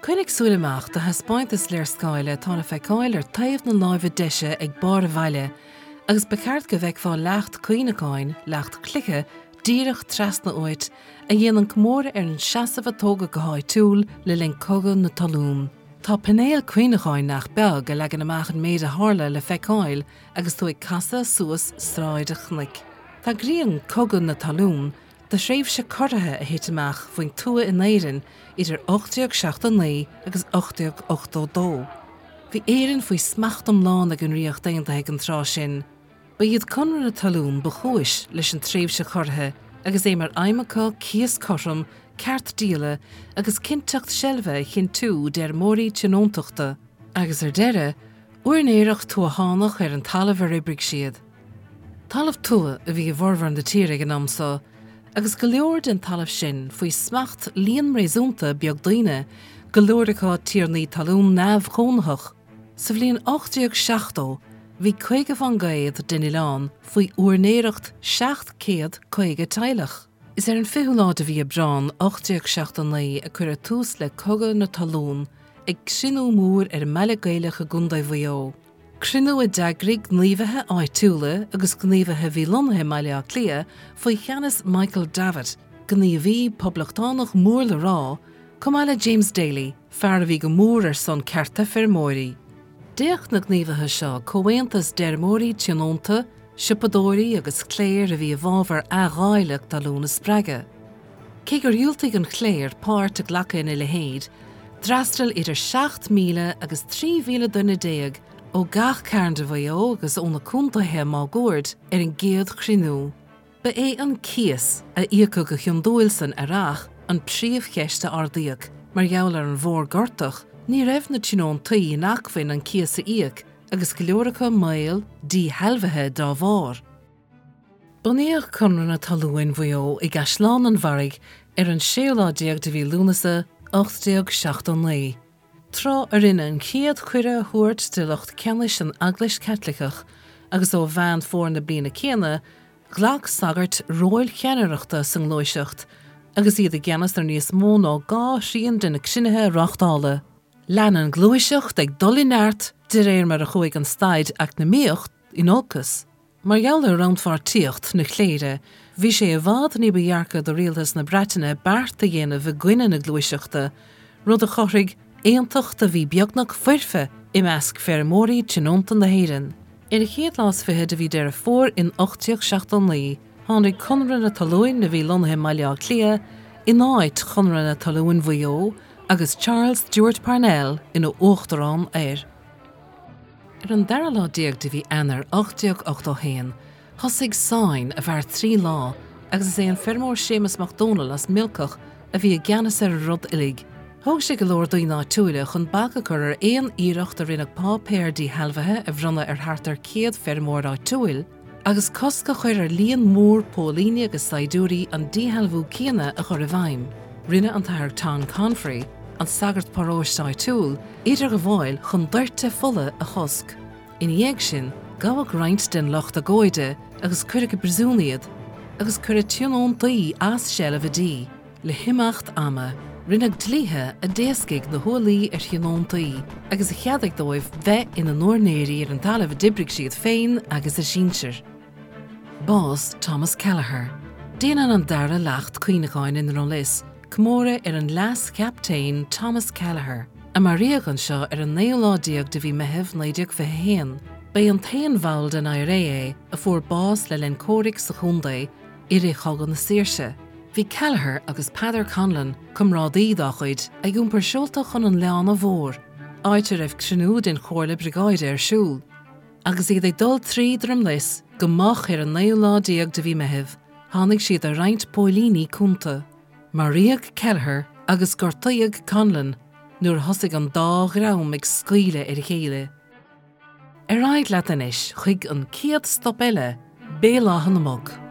Coinnigh súil amach do thaispeántas léarscáile atá le feiceáil ar taobh na láimhe deise ag barr an bhaile agus ba cheart go bhfeicfeá leacht cuimhneacháin, leacht cloiche, díreach trasna uait, a dhéanann comóradh ar an seasamh a tógadh go háitiúil le linn Cogadh na Talún. Tá painéal cuimhneacháin nach beag a leagann amach an méid a tharla le feiceáil agus tú ag casadh suas Sráid an Chnoic. Tagraíonn Cogadh na Talún do thréimhse corraithe a thit amach faoin tuath in Éirinn idir 1879 agus 1882. Bhí Éirinn faoi smacht iomlán ag an Ríocht Aontaithe ag an tráth sin. Ba iad Conradh na Talún ba chúis leis an tréimhse chorraithe agus é mar aidhm acu cíos cothrom, ceart díola agus cinnteacht seilbhe a chinntiú d'fheirmeoirí tionóntachta agus, ar deireadh, úinéireacht tuathánach ar an talamh ar oibrigh siad. Talamh tuaithe a bhí i bhformhór na tíre ag an am so, agus go leor den talamh sin faoi smacht líon réasúnta beag daoine, go leor acu tiarnaí talún neamhchónaitheach. Sa bhliain 1870 bhí 50% den oileán faoi úinéireacht 750 teaghlach. Is ar an 20ú lá de mhí Aibreán 1879 a cuireadh tús le Cogadh na Talún ag cruinniú mór ar an mBaile Gaelach i gContae Mhaigh Eo. Cruinniú a d'eagraigh gníomhaithe áitiúla agus gníomhaithe a bhí lonnaithe i mBaile Átha Cliath faoi cheannas Michael Davitt, gníomhaí poblachtánach mór le rá, chomh maith le James Daly, fear a bhí go mór ar son cearta feirmeoirí. D'fhéach na gníomhaithe seo comhaontas d'fheirmeoirí tionónta, siopadóirí agus cléir a bhí i bhfabhar athdháileadh talún a spreagadh. Cé gur dhiúltaigh an chléir páirt a ghlacadh ina leithéid, d'fhreastail idir 7,000 agus 13,000 duine ó gach cearn de Mhaigh Eo agus ó na contaetha máguaird ar an gcéad chruinniú. Ba é an cíos, a íocadh go hiondúil san earrach, an phríomhcheist a ardaíodh. Mar gheall ar an bhfómhar gortach, ní raibh na tionóntaí in acmhainn an cíos a íoc agus go leor acu i mbaol díshealbhaithe dá bharr. Bunaíodh Conradh na Talún Mhaigh Eo i gCaisleán an Bharraigh ar an séú lá déag de mhí Lúnasa 1879, tráth a rinneadh an chéad chuireadh a thabhairt do lucht ceannais an Eaglais Chaitliceach agus ó Mheán Fómhair na bliana céanna ghlac sagairt róil cheannaireachta sa ngluaiseacht agus iad i gceannas ar níos mó ná dhá thrian de na cruinnithe a reáchtáladh. Lean an ghluaiseacht ag dul i neart de réir mar a chuaigh an staid eacnamaíoch in olcas. Mar gheall ar rannpháirtíocht na cléire, bhí sé i bhfad ní ba dhearca do rialtas na Breataine beart a dhéanamh i gcoinne na gluaiseachta, rud a chothaigh aontacht a bhí beagnach foirfe i measc feirmeoirí tionónta na hÉireann. Ar an chéad lá is fiche de mhí Deireadh Fómhair in 1879, tháinig Conradh na Talún, a bhí lonnaithe i mBaile Átha Cliath, in áit Chonradh na Talún Mhaigh Eo agus Charles Stewart Parnell ina uachtarán air. Ar an dara lá déag de mhí Eanáir 1881, thosaigh sáinn a mhair 3 lá agus is é an feirmeoir Séamus Mac Dónaill as Miolcach a bhí i gceannas ar an rud uilig. Thóg sé go leor daoine áitiúila chun bac a chur ar aon iarracht a rinneadh páipéar díshealbhaithe a bhronnadh ar thart ar 100 feirmeoir áitiúil agus cosc a chur ar líon mór póilíní agus saighdiúirí an díshealbhú céanna a chur i bhfeidhm. Rinne an tAthair Tom Confery, an sagart paróiste áitiúil, idirghabháil chun doirteadh fola a chosc. Ina dhiaidh sin, gabhadh roinnt den lucht agóide agus cuireadh i bpríosún iad, agus cuireadh tionóntaí as seilbh a dtí. Le himeacht ama, rinneadh dlíthe a d'éascaigh na hualaí ar thionóntaí agus a cheadaigh dóibh bheith ina n-úinéirí ar an talamh a d'oibrigh siad féin agus a sinsir. Bás Thomas Kelleher. Déanann an dara leacht cuimhneacháin i nDroim Lis comóradh ar an Leas-Chaptaen Thomas Kelleher, a maraíodh anseo ar an naoú lá déag de mhí Meitheamh 1921. Ba é an t-aon bhall den IRA é a fuair bás le linn comhraic sa chontae i rith Chogadh na Saoirse. Bhí Kelleher agus Peadar Conlon, comrádaí dá chuid, ag iompar seolta chun an Leánna Mhóir, áit a raibh cruinniú den Chomhairle Briogáide ar siúl. Agus iad ag dul trí Droim Lis go moch ar an naoú lá déag de mhí Meithimh, tháinig siad ar roinnt póilíní cúnta. Maraíodh Kelleher agus gortaíodh Conlon nuair a thosaigh an dá dhream ag scaoileadh ar a chéile. Ar aghaidh leat anois chuig an chéad stop eile, Béal Átha na Muc.